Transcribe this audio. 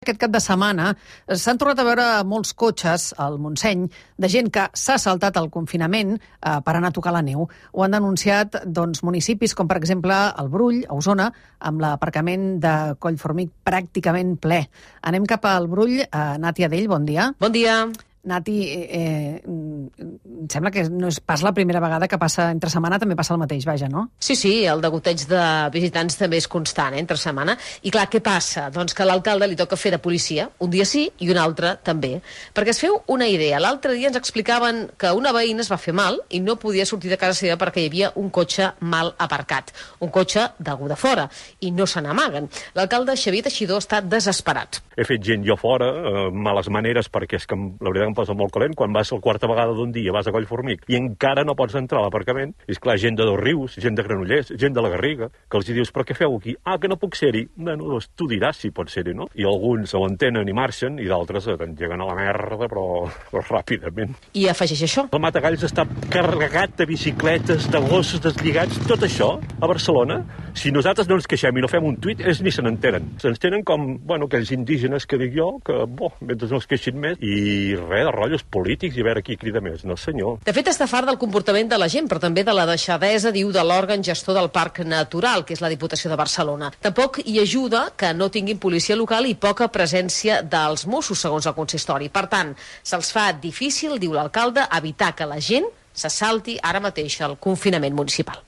Aquest cap de setmana s'han tornat a veure molts cotxes al Montseny de gent que s'ha saltat el confinament per anar a tocar la neu. Ho han denunciat municipis com, per exemple, el Brull, a Osona, amb l'aparcament de Collformic pràcticament ple. Anem cap al Brull. Nàtia Dell, bon dia. Bon dia. Nati, em sembla que no és pas la primera vegada que passa entre setmana, també passa el mateix, vaja, no? Sí, el degoteig de visitants també és constant, entre setmana. I clar, què passa? Doncs que a l'alcalde li toca fer de policia, un dia sí i un altre també. Perquè es feu una idea, l'altre dia ens explicaven que una veïna es va fer mal i no podia sortir de casa seva perquè hi havia un cotxe mal aparcat, un cotxe d'algú de fora, i no se n'amaguen. L'alcalde Xavier Teixidor està desesperat. He fet gent jo fora, males maneres, perquè és que la veritat em posa molt calent. Quan vas la quarta vegada d'un dia, vas a Collformic i encara no pots entrar a l'aparcament. I és clar, gent de Dosrius, gent de Granollers, gent de la Garriga, que els dius, però què feu aquí? Ah, que no puc ser-hi. Bueno, doncs tu diràs si pots ser-hi, no? I alguns ho entenen i marxen, i d'altres t'engeguen a la merda, però ràpidament. I afegeix això. El Matagalls està carregat de bicicletes, de gossos deslligats, tot això, a Barcelona. Si nosaltres no ens queixem i no fem un tuit, ells ni se n'entenen. Se'ns tenen com, aquells indígenes que dic jo, que, mentre no es queixin més, i res de rotllos polítics i a veure qui crida més. No, senyor. De fet, està fart del comportament de la gent, però també de la deixadesa, diu, de l'òrgan gestor del Parc Natural, que és la Diputació de Barcelona. Tampoc hi ajuda que no tinguin policia local i poca presència dels Mossos, segons el consistori. Per tant, se'ls fa difícil, diu l'alcalde, evitar que la gent se salti ara mateix el confinament municipal.